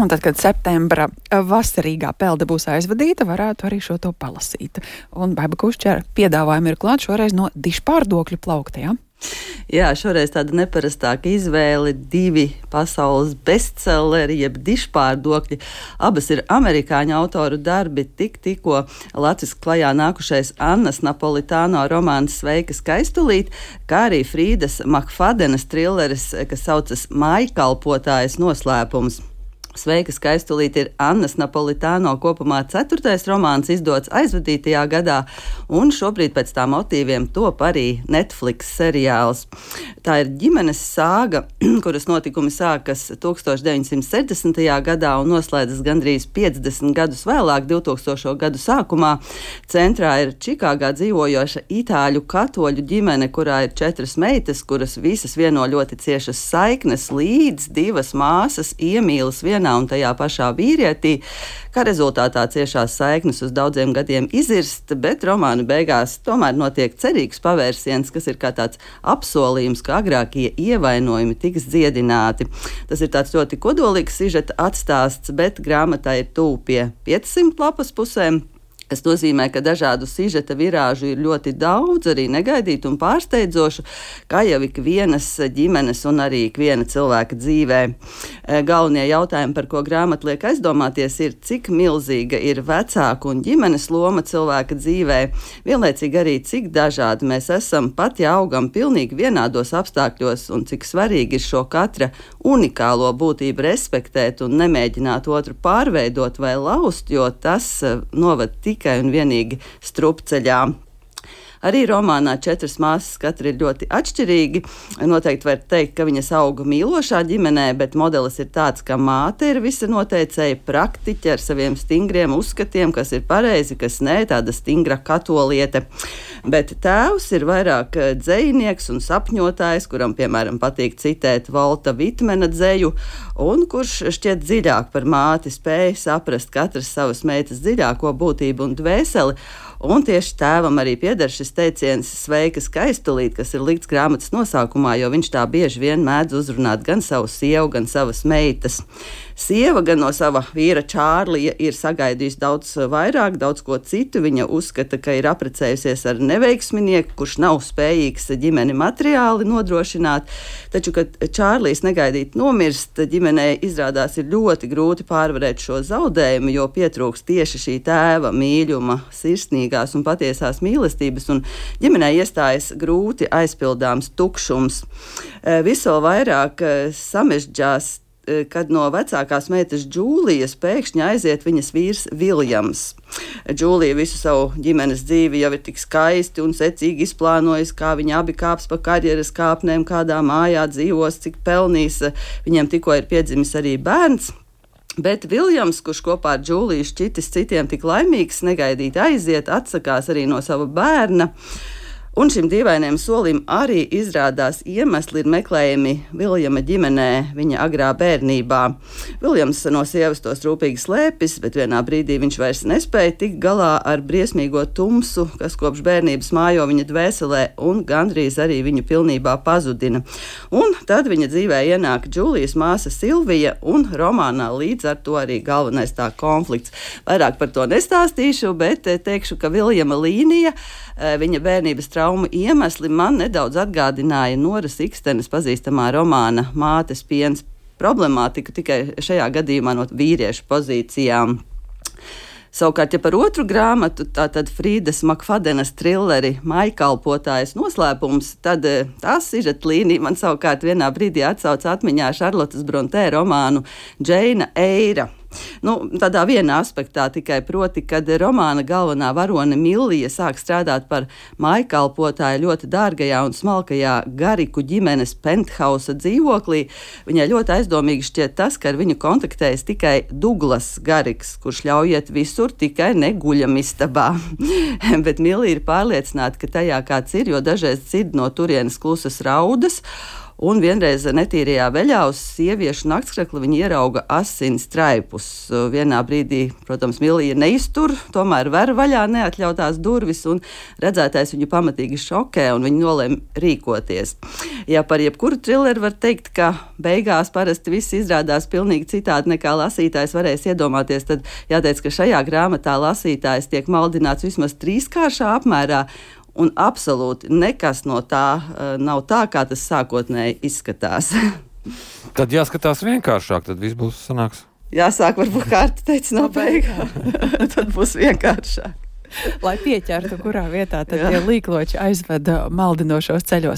Un tad, kad septembra vasarīgā pelde būs aizvadīta, varētu arī šo to palasīt. Un Baiba Kušķera piedāvājumi ir klāt šoreiz no dišpārdokļu plaukta, ja? Jā, šoreiz tāda neparastāka izvēle, 2 pasaules bestselleri, jeb dišpārdokļi. Abas ir amerikāņu autoru darbi, tikko latviski klajā nākušais Annas Napolitāno romāns Sveika skaistulīt, kā arī Frīdas Makfadenas trilleris, kas saucas Mājkalpotājas noslēpums. Sveika skaistulīt ir Annas Napolitāno kopumā 4. romāns, izdots aizvadītajā gadā, un šobrīd pēc tā motīviem top arī Netflix seriāls. Tā ir ģimenes sāga, kuras notikumi sākas 1960. gadā un noslēdzas gandrīz 50 gadus vēlāk, 2000. gadu sākumā. Centrā ir Čikāgā dzīvojoša itāļu katoļu ģimene, kurā ir 4 meitas, kuras visas vieno ļoti ciešas saiknes, līdz 2 māsas iemīlas vienā un tajā pašā vīrietī, kā rezultātā ciešās saiknes uz daudziem gadiem izirst, bet romāna beigās tomēr notiek cerīgs pavērsiens, kas ir kā tāds apsolījums, ka agrākie ievainojumi tiks dziedināti. Tas ir tāds ļoti kodolīgs sižeta atstāsts, bet grāmatā ir tuvu pie 500 lapas pusēm. Tas nozīmē, ka dažādu sižeta virāžu ir ļoti daudz, arī negaidītu un pārsteidzošu, kā jau ikvienas ģimenes un arī ikviena cilvēka dzīvē. Galvenie jautājumi, par ko grāmata liek aizdomāties, ir, cik milzīga ir vecāku un ģimenes loma cilvēka dzīvē, vienlaicīgi arī, cik dažādi mēs esam, pat ja augam pilnīgi vienādos apstākļos, un cik svarīgi ir šo katra unikālo būtību respektēt un nemēģināt otru pārveidot vai laust, jo tas novad tikai un vienīgi strupceļā. Arī romānā 4 māsas katra ir ļoti atšķirīgi. Noteikti var teikt, ka viņas auga mīlošā ģimenē, bet modelis ir tāds, ka māte ir visa noteicēja praktiķe ar saviem stingriem uzskatiem, kas ir pareizi, kas nē, tāda stingra katoliete. Bet tēvs ir vairāk dzejnieks un sapņotājs, kuram, piemēram, patīk citēt Valta Vitmena dzeju, un kurš šķiet dziļāk par māti, spēja saprast katras savas meitas dziļāko būtību un dvēseli. Un tieši tēvam arī pieder šis teiciens Sveika skaistulīt, kas ir likts grāmatas nosaukumā, jo viņš tā bieži vien mēdz uzrunāt gan savu sievu, gan savas meitas. Sieva gan no sava vīra Čārlija ir sagaidījusi daudz vairāk, daudz ko citu. Viņa uzskata, ka ir apprecējusies ar neveiksminieku, kurš nav spējīgs ģimeni materiāli nodrošināt. Taču, kad Čārlijs negaidīt nomirst, ģimenei izrādās ir ļoti grūti pārvarēt šo zaudējumu, jo pietrūks tieši šī tēva mīļuma, sirsnīgās un patiesās mīlestības, un ģimenei iestājas grūti aizpildāms tukšums. Viss vēl vairāk samežģās, kad no vecākās meitas Džūlijas pēkšņi aiziet viņas vīrs Viljams. Džūlija visu savu ģimenes dzīvi jau ir tik skaisti un secīgi izplānojusi, kā viņi abi kāps pa karjeras kāpnēm, kādā mājā dzīvos, cik pelnīs. Viņiem tikko ir piedzimis arī bērns. Bet Viljams, kurš kopā ar Džūliju šķitis citiem tik laimīgs, negaidīt aiziet, atsakās arī no sava bērna. Un šim dīvainajam solim arī izrādās iemesli ir meklējami Viljama ģimenē viņa agrā bērnībā. Viljams no sievas tos rūpīgi slēpis, bet vienā brīdī viņš vairs nespēja tikt galā ar briesmīgo tumsu, kas kopš bērnības mājo viņa dvēselē un gandrīz arī viņu pilnībā pazudina. Un tad viņa dzīvē ienāk Džūlijas māsa Silvija, un romānā līdz ar to arī galvenais tā konflikts. Vairāk par to nestāstīšu, bet teikšu, ka Viljama līnija, viņa bērnības traumu iemesli man nedaudz atgādināja Noras Ikstenes pazīstamā romāna Mātes piens problemātiku, tikai šajā gadījumā no vīriešu pozīcijām. Savukārt, ja par otru grāmatu, tātad Frīdas Makfadenas trilleri Mājkalpotājas noslēpums, tad tās sižeta līnija man savukārt vienā brīdī atsauca atmiņā Šarlotas Brontē romānu Džeina Eira. Tādā vienā aspektā tikai proti, kad romāna galvenā varone Millija sāk strādāt par mājkalpotāju ļoti dārgajā un smalkajā Gariku ģimenes penthausa dzīvoklī, viņai ļoti aizdomīgi šķiet tas, ka ar viņu kontaktējas tikai Duglas Gariks, kurš ļauj iet visur, tikai ne guļamistabā. Bet Millija ir pārliecināta, ka tajā kāds ir, jo dažreiz dzird no turienes klusas raudas. Un vienreiz netīrajā veļā uz sieviešu naktskrekla viņi ierauga asins traipus. Vienā brīdī, protams, Milija neiztur, tomēr ver vaļā neatļautās durvis, un redzētais viņu pamatīgi šokē, un viņi nolēma rīkoties. Ja par jebkuru trilleru var teikt, ka beigās parasti viss izrādās pilnīgi citādi nekā lasītājs varēs iedomāties, tad jāteic, ka šajā grāmatā lasītājs tiek maldināts vismaz 3-kāršā apmērā, un absolūti nekas no tā nav tā, kā tas sākotnēji izskatās. Tad jāskatās vienkāršāk, tad viss būs sanāks. Jāsāk varbūt kārta teica no beigām, tad būs vienkāršāk. Lai pieķertu, kurā vietā tad tie līkloči aizveda maldinošos ceļos.